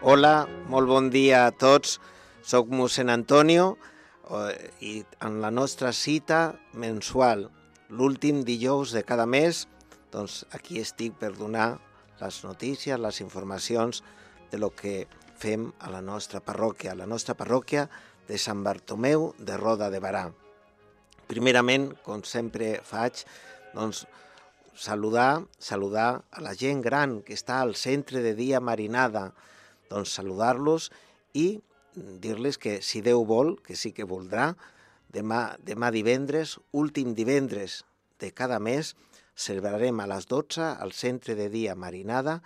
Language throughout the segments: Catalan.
Hola, molt bon dia a tots. Soc mossèn Antonio i en la nostra cita mensual, l'últim dijous de cada mes, doncs aquí estic per donar les notícies, les informacions de lo que fem a la nostra parròquia de Sant Bartomeu de Roda de Berà. Primerament, com sempre faig, doncs saludar a la gent gran que està al centre de dia Marinada, doncs saludar-los i dir-les que si Déu vol, que sí que voldrà, demà divendres, últim divendres de cada mes, celebrarem a les 12 al centre de dia Marinada,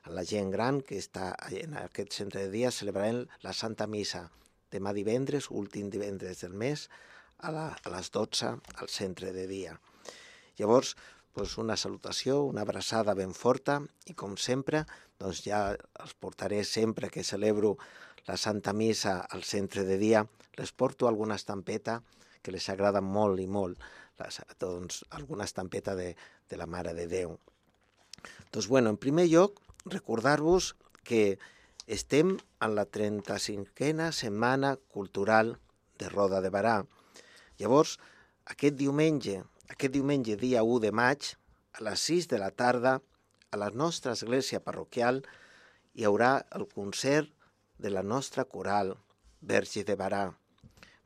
a la gent gran que està en aquest centre de dia, celebrarem la Santa Missa demà divendres, últim divendres del mes, a les 12 al centre de dia. Llavors, una salutació, una abraçada ben forta i com sempre, doncs ja els portaré sempre que celebro la Santa Missa al centre de dia, les porto alguna estampeta que les agrada molt i molt, doncs alguna estampeta de la Mare de Déu. Doncs en primer lloc, recordar-vos que estem en la 35a Setmana Cultural de Roda de Berà. Llavors, aquest diumenge, dia 1 de maig, a les 6 de la tarda, a la nostra església parroquial, hi haurà el concert de la nostra coral, Verge de Berà.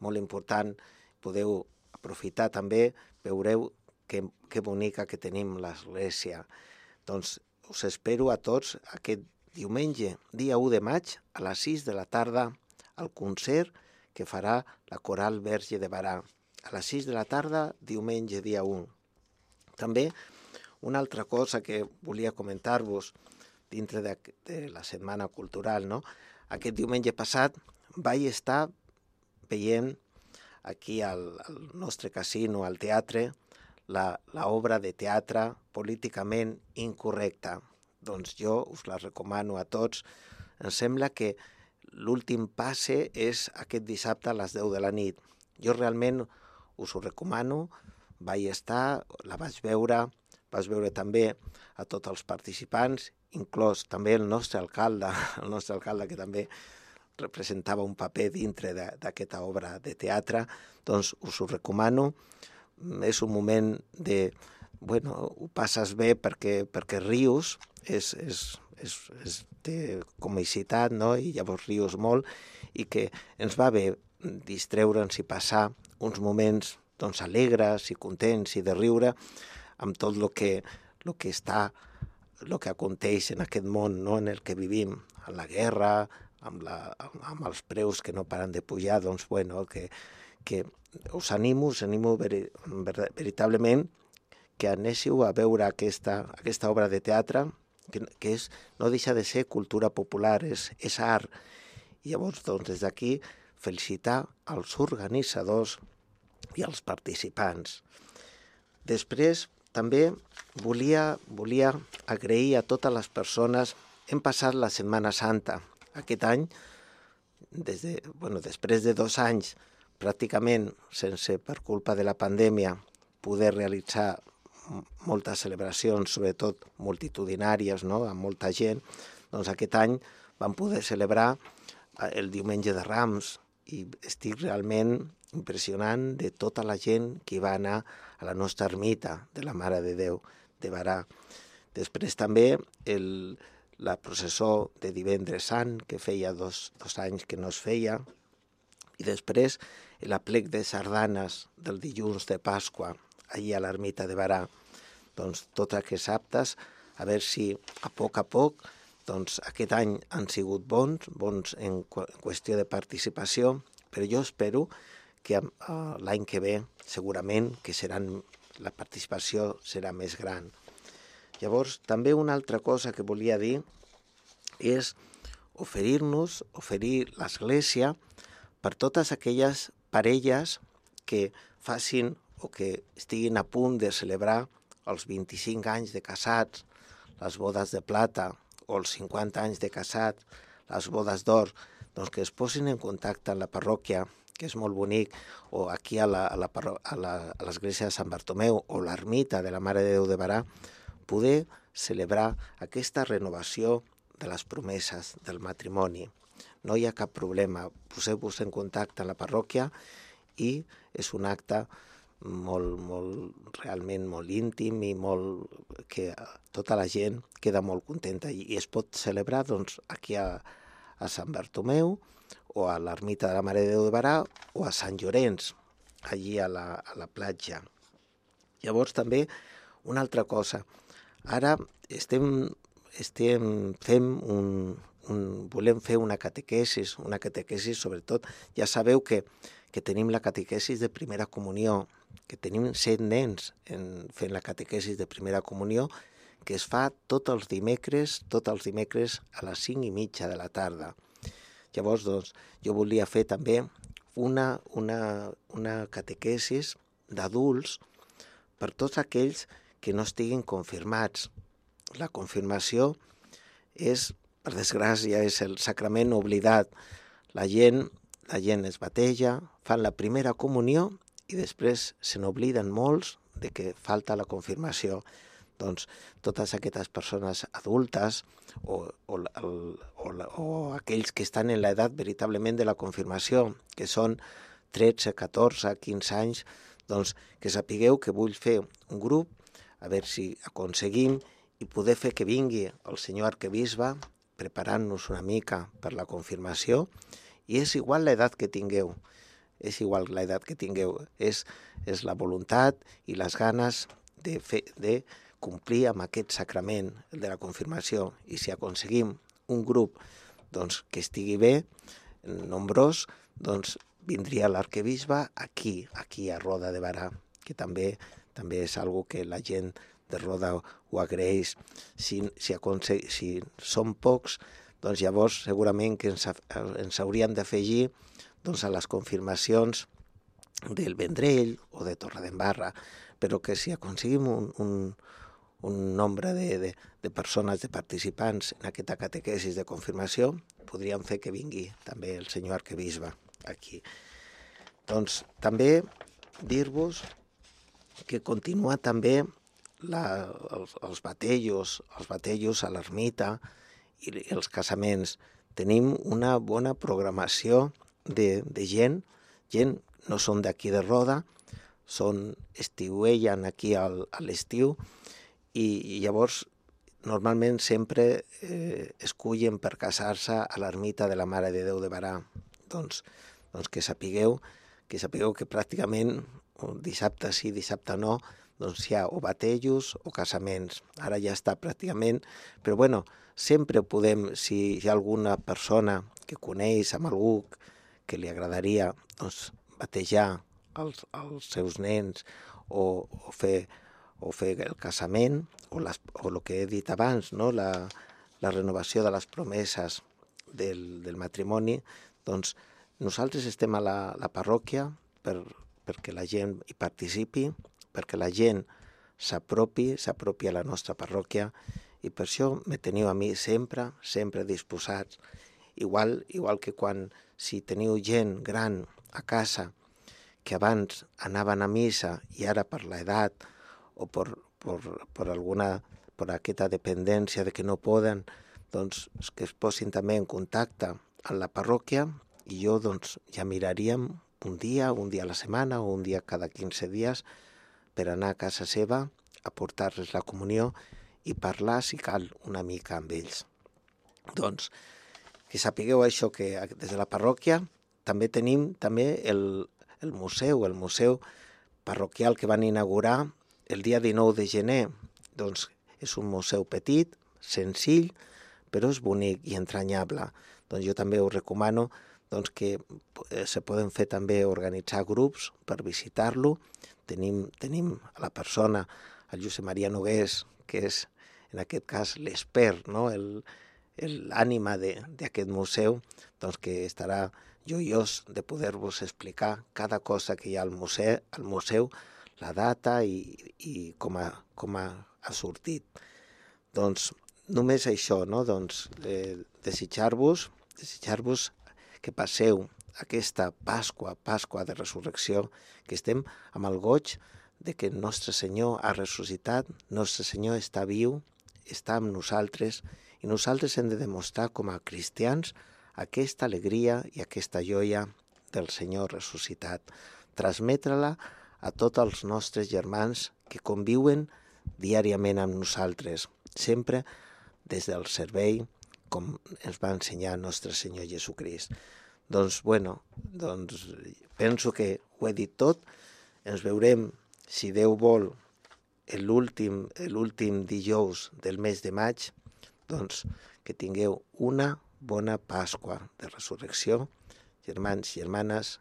Molt important, podeu aprofitar també, veureu que bonica que tenim l'església. Doncs us espero a tots aquest diumenge, dia 1 de maig, a les 6 de la tarda, al concert que farà la coral Verge de Berà. A les 6 de la tarda, diumenge, dia 1. També una altra cosa que volia comentar-vos dintre de la Setmana Cultural, no? Aquest diumenge passat vaig estar veient aquí al nostre casino, al teatre, l'obra de teatre políticament incorrecta. Doncs jo us la recomano a tots. Em sembla que l'últim passe és aquest dissabte a les 10 de la nit. Jo realment us ho recomano, vaig estar, la vaig veure també a tots els participants, inclòs també el nostre alcalde que també representava un paper dintre d'aquesta obra de teatre, doncs us ho recomano. És un moment de, ho passes bé perquè rius, és de comicitat, no? I llavors rius molt i que ens va bé distreure'ns i passar uns moments doncs, alegres i contents i de riure amb tot el que aconteix en aquest món, no? En el que vivim, en la guerra, amb els preus que no paren de pujar, doncs, que us animo veritablement que anéssiu a veure aquesta obra de teatre, que no deixa de ser cultura popular, és art. I llavors, doncs, des d'aquí, felicitar els organitzadors i els participants. Després, també volia agrair a totes les persones. Hem passat la Setmana Santa. Aquest any, després de 2 anys, pràcticament sense, per culpa de la pandèmia, poder realitzar moltes celebracions, sobretot multitudinàries, no? Amb molta gent, doncs aquest any vam poder celebrar el diumenge de Rams i estic realment impressionant de tota la gent que va anar a la nostra ermita de la Mare de Déu de Berà. Després també la processó de divendres sant, que feia dos anys que no es feia, i després l'aplec de sardanes del dilluns de Pasqua, allà a l'ermita de Berà. Doncs tots aquests actes, a veure si a poc, doncs aquest any han sigut bons en qüestió de participació, però jo espero que l'any que ve segurament que la participació serà més gran. Llavors, també una altra cosa que volia dir és oferir l'Església per totes aquelles parelles que facin o que estiguin a punt de celebrar els 25 anys de casats, les bodes de plata o els 50 anys de casat, les bodes d'or, doncs que es posin en contacte amb la parròquia, que és molt bonic, o aquí a l'església de Sant Bartomeu o l'ermita de la Mare de Déu de Berà, poder celebrar aquesta renovació de les promeses del matrimoni. No hi ha cap problema, poseu-vos en contacte amb la parròquia i és un acte realment molt íntim i que tota la gent queda molt contenta i es pot celebrar doncs, aquí a Sant Bartomeu o a l'ermita de la Mare de Déu de Barà o a Sant Llorenç, allí a la platja. Llavors també una altra cosa, ara volem fer una catequesis sobretot, ja sabeu que tenim la catequesis de primera comunió, que tenim 7 nens fent la catequesis de primera comunió, que es fa tots els dimecres a les 5:30 de la tarda. Llavors, doncs, jo volia fer també una catequesis d'adults per tots aquells que no estiguin confirmats. La confirmació és, per desgràcia, és el sacrament oblidat. La gent es bateja, fan la primera comunió i després se n'obliden molts de que falta la confirmació. Doncs totes aquestes persones adultes o aquells que estan en l'edat veritablement de la confirmació, que són 13, 14, 15 anys, doncs que sapigueu que vull fer un grup, a veure si aconseguim i poder fer que vingui el senyor arquebisbe preparant-nos una mica per la confirmació, i és igual l'edat que tingueu, és la voluntat i les ganes de complir amb aquest sacrament, el de la confirmació, i si aconseguim un grup doncs, que estigui bé, nombrós, doncs vindria l'arquebisbe aquí a Roda de Barà, que també és algo que la gent de Roda ho agraeix. Si som pocs, doncs llavors segurament que ens hauríem d'afegir doncs, a les confirmacions del Vendrell o de Torredembarra, però que si aconseguim un nombre de persones, de participants en aquesta catequesis de confirmació, podríem fer que vingui també el senyor arquebisbe aquí. Doncs també dir-vos que continua també els batellos a l'ermita i els casaments. Tenim una bona programació de gent no són d'aquí de Roda, estiuegen aquí a l'estiu i llavors normalment sempre escullen per casar-se a l'ermita de la Mare de Déu de Barà. Doncs que sapigueu que pràcticament dissabte sí, dissabte no, doncs hi ha o batellos o casaments. Ara ja està pràcticament, però bueno, sempre podem, si hi ha alguna persona que coneix amb algú que li agradaria doncs, batejar els seus nens o fer el casament o el que he dit abans, no? la renovació de les promeses del matrimoni, doncs nosaltres estem a la parròquia perquè la gent hi participi, perquè la gent s'apropi a la nostra parròquia, i per això me teniu a mi sempre disposats. Igual que si teniu gent gran a casa que abans anaven a missa i ara per l'edat o per aquesta dependència de que no poden, doncs que es posin també en contacte amb la parròquia i jo doncs ja miraríem un dia a la setmana o un dia cada 15 dies per anar a casa seva a portar-les la comunió i parlar, si cal, una mica amb ells. Doncs que sapigueu això, que des de la parròquia també tenim el museu parroquial que van inaugurar el dia 19 de gener. Doncs és un museu petit, senzill, però és bonic i entranyable. Doncs jo també us recomano doncs, que se poden fer també organitzar grups per visitar-lo. Tenim a la persona, el Josep Maria Nogués, que és en aquest cas l'expert, no? L'ànima d'aquest museu, doncs que estarà joiós de poder-vos explicar cada cosa que hi ha al museu, la data i com ha sortit. Doncs només això, no? Doncs desitjar-vos que passeu aquesta Pasqua de Resurrecció, que estem amb el goig de que el nostre Senyor ha ressuscitat, el nostre Senyor està viu, està amb nosaltres I nosaltres hem de demostrar com a cristians aquesta alegria i aquesta joia del Senyor ressuscitat, transmetre-la a tots els nostres germans que conviuen diàriament amb nosaltres, sempre des del servei, com ens va ensenyar el nostre Senyor Jesucrist. Doncs penso que ho he dit tot. Ens veurem, si Déu vol, l'últim dijous del mes de maig. Doncs que tingueu una bona Pasqua de Resurrecció. Germans i germanes,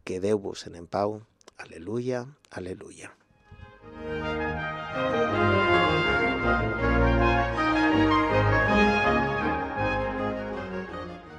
quedeu-vos en pau. Aleluia, aleluia.